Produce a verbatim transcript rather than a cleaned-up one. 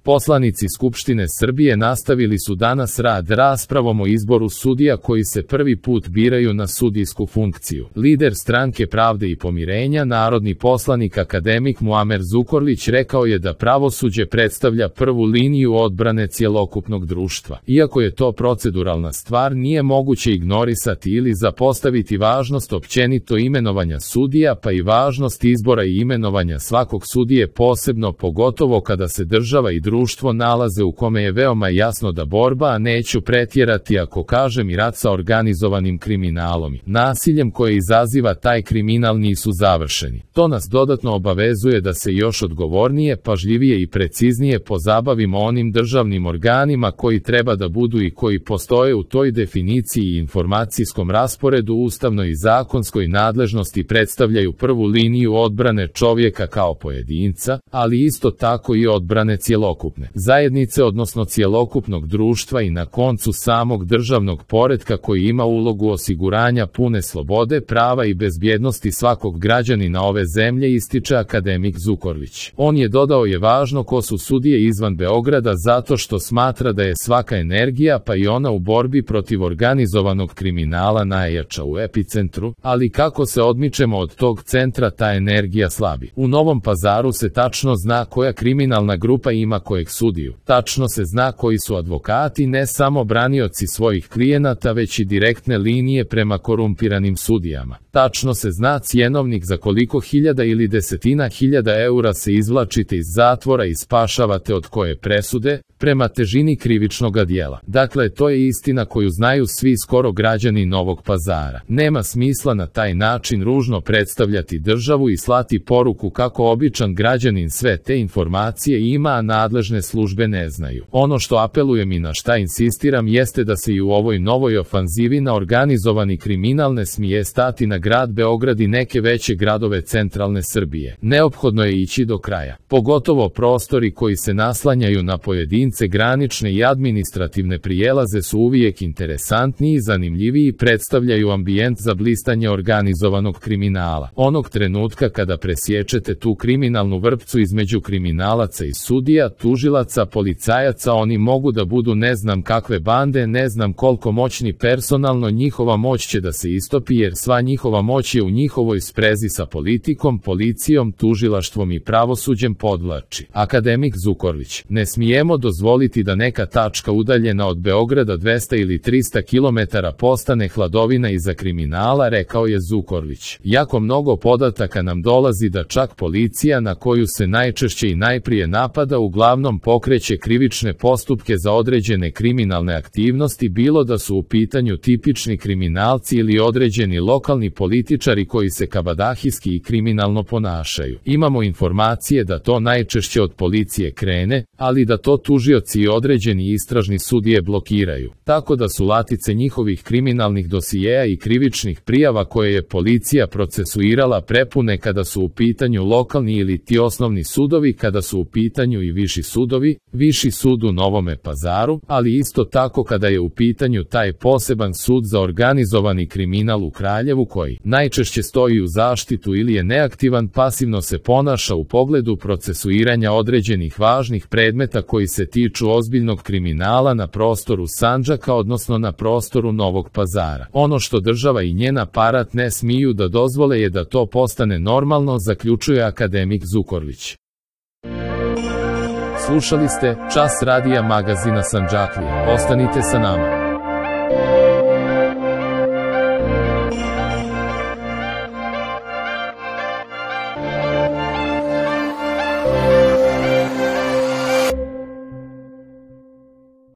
Poslanici Skupštine Srbije nastavili su danas rad raspravom o izboru sudija koji se prvi put biraju na sudijsku funkciju. Lider Stranke pravde i pomirenja, narodni poslanik akademik Muamer Zukorlić rekao je da pravosuđe predstavlja prvu liniju odbrane cjelokupnog društva. Iako je to proceduralna stvar, nije moguće ignorisati ili zapostaviti važnost općenito imenovanja sudija, pa i važnost izbora i imenovanja svakog sudije, posebno pogotovo kada se država i društvo nalaze u kome je veoma jasno da borba, a neću pretjerati ako kažem i rat sa organizovanim kriminalom i nasiljem koje izaziva taj kriminal nisu završeni. To nas dodatno obavezuje da se još odgovornije, pažljivije i preciznije pozabavimo onim državnim organima koji treba da budu i koji postoje u toj definiciji i informacijskom rasporedu ustavnoj i zakonskoj nadležnosti, predstavljaju prvu liniju odbrane čovjeka kao pojedinca, ali isto tako i odbrane cjelokupne zajednice, odnosno cjelokupnog društva i na koncu samog državnog poretka koji ima ulogu osiguranja pune slobode, prava i bezbjednosti svakog građanina ove zemlje, ističe akademik Zukorlić. On je dodao je važno ko su sudije izvan Beograda zato što smatra da je svaka energija, pa i ona u borbi protiv organizovanog kriminala, najjača u epicentru, ali kako se odmičemo od tog centra ta energija slabi. U Novom Pazaru se tačno zna koja kriminalna grupa ima kojeg sudiju. Tačno se zna koji su advokati, ne samo branioci svojih klijenata, već i direktne linije prema korumpiranim sudijama. Tačno se zna cjenovnik za koliko hiljada ili desetina hiljada eura se izvlačite iz zatvora i spašavate od koje presude, prema težini krivičnog djela. Dakle, to je istina koju znaju svi skoro građani Novog Pazara. Nema smisla na taj način ružno predstavljati državu i slati poruku kako običan građanin sve te informacije ima, a nadležne službe ne znaju. Ono što apelujem i na šta insistiram jeste da se i u ovoj novoj ofanzivi na organizovani kriminal ne smije stati na grad Beograd i neke veće gradove centralne Srbije. Neophodno je ići do kraja. Pogotovo prostori koji se naslanjaju na pojedince, granične i administrativne prijelaze su uvijek interesantniji i zanimljiviji i predstavljaju ambijent za blistanje organizovanog kriminala. Onog trenutka kada presječete tu kriminalnu vrpcu između kriminalaca i sudija, tužilaca, policajaca, oni mogu da budu ne znam kakve bande, ne znam koliko moćni personalno, njihova moć će da se istopi jer sva njihova moć je u njihovoj sprezi sa politikom, policijom, tužilaštvom i pravosuđem, podvlači akademik Zukorlić. Ne smijemo dozvoliti da neka tačka udaljena od Beograda dvesta ili trista kilometara postane hladovina iza kriminala, rekao je Zukorlić. Jako mnogo podataka nam dolazi da čak policija, na koju se najčešće i najprije napada, uglavnom pokreće krivične postupke za određene kriminalne aktivnosti, bilo da su u pitanju tipični kriminalci ili određeni lokalni političari koji se kabadahijski i kriminalno ponašaju. Imamo informacije da to najčešće od policije krene, ali da to tužioci i određeni istražni sudije blokiraju. Tako da su latice njihovih kriminalnih dosijeja i krivičnih prijava koje je policija procesuirala prepune kada su u pitanju lokalni ili ti osnovni sudovi, kada su u pitanju i viši sudovi, viši sud u Novome Pazaru, ali isto tako kada je u pitanju taj poseban sud za organizovani kriminal u Kraljevu koji najčešće stoji u zaštitu ili je neaktivan, pasivno se ponaša u pogledu procesuiranja određenih važnih predmeta koji se tiču ozbiljnog kriminala na prostoru Sandžaka, odnosno na prostoru Novog Pazara. Ono što država i njen aparat ne smiju da dozvole je da to postane normalno, zaključuje akademik Zukorlić. Slušali ste Čas radija magazina Sandžaklije. Ostanite sa nama.